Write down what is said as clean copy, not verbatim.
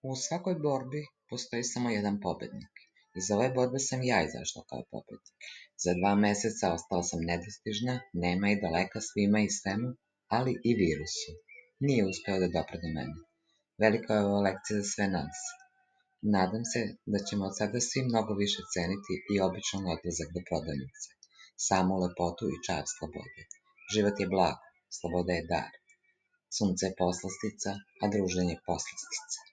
U svakoj borbi postoji samo jedan pobednik. Iz ove borbe sam ja izašla kao pobednik. Za 2 meseca ostala sam nedostižna, nema i daleka svima i svemu, ali i virusu. Nije uspeo da dopre do mene. Velika je ova lekcija za sve nas. Nadam se da ćemo od sada svi mnogo više ceniti i običan odlazak do prodavnice. Samu lepotu i čar slobode. Život je blago, sloboda je dar. Sunce je poslastica, a druženje poslastica.